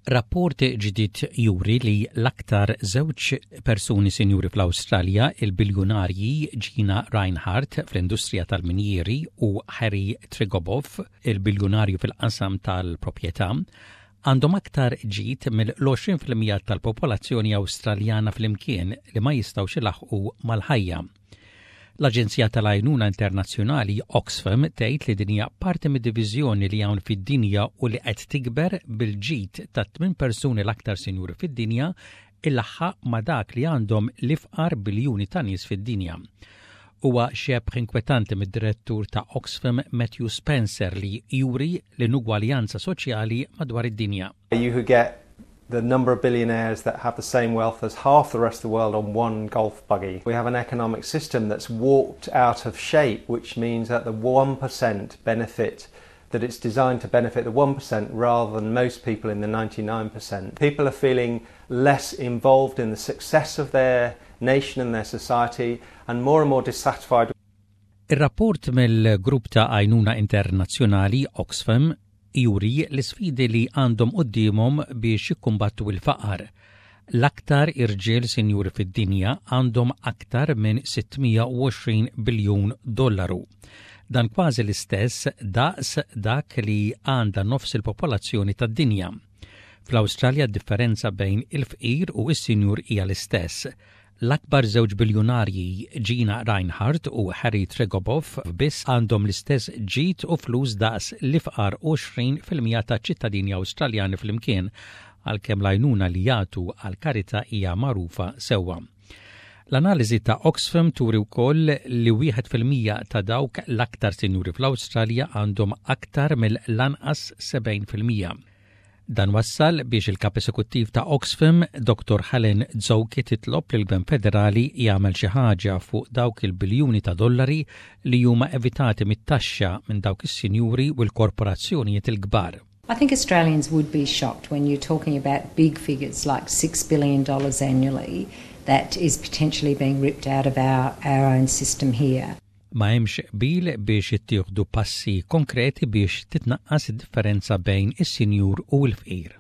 Rapport ġdid juri li l-aktar żewġ persuni sinjuri fl-Awstralja, il-biljunarji Gina Rinehart fl-industrija tal-minjieri u Harry Triguboff, il-biljunarju fil-qasam tal-proprjetà, għandhom aktar ġid mill-20% tal-popolazzjoni Awstraljana flimkien li ma jistgħux ilaħħqu mal-ħajja. L-Aġenzija tal-Għajnuna Internazzjonali Oxfam tgħid li din hija parti mid-diviżjoni li hawn fid-dinja u li qed tikber bil-ġid ta' tmien persuni l-aktar sinjuri fid-dinja ilaħħaq ma' dak li għandhom l-ifqar biljuni ta' nies fid-dinja. Huwa xebh inkwetanti mid-direttur ta' Oxfam Matthew Spencer li juri l-inugwaljanza soċjali madwar id-dinja. You could get the number of billionaires that have the same wealth as half the rest of the world on one golf buggy. We have an economic system that's warped out of shape, which means that the 1% benefit that it's designed to benefit the 1% rather than most people in the 99%. People are feeling less involved in the success of their nation and their society and more and more dissatisfied. Ir-rapport mill-grupp ta' għajnuna internazzjonali Oxfam juri l-isfidi li għandhom quddiemhom biex jikkumbattu l-faqar. L-aktar irġiel sinjuri fid-dinja għandhom aktar minn 620 biljun dollaru. Dan kważi l-istess daqs dak li għandha nofs il-popolazzjoni tad-dinja. Fl-Awstralja d-differenza bejn il-fqir u s-sinjur hija l-istess. L-akbar żewġ biljunarji Gina Rinehart u Harry Triguboff biss għandhom l-istess ġid u flus daqs l-ifqar 20% ta' ċittadini Awstraljani flimkien għalkemm l-għajnuna li jagħtu għal karità hija magħrufa sewwa. L-analiżi ta' Oxfam turi wkoll li 1% ta' dawk l-aktar sinjuri fl-Awstralja għandhom aktar mill-lanqas 70%. Dan wassal biex il-kap esekuttiv ta' Oxfam, Dr. Helen Zouki titlob lill gvern federali jagħmel xi ħaġa fuq dawk il-biljuni ta' dollari li huma evitati mit-taxxa minn dawk is-sinjuri u l-korporazzjonijiet il-kbar. I think Australians would be shocked when you're talking about big figures like $6 billion annually that is potentially being ripped out of our, our own system here. Ma hemmx qbil biex jittieħdu passi konkreti biex titnaqqas id-differenza bejn is-sinjur u l-fqir.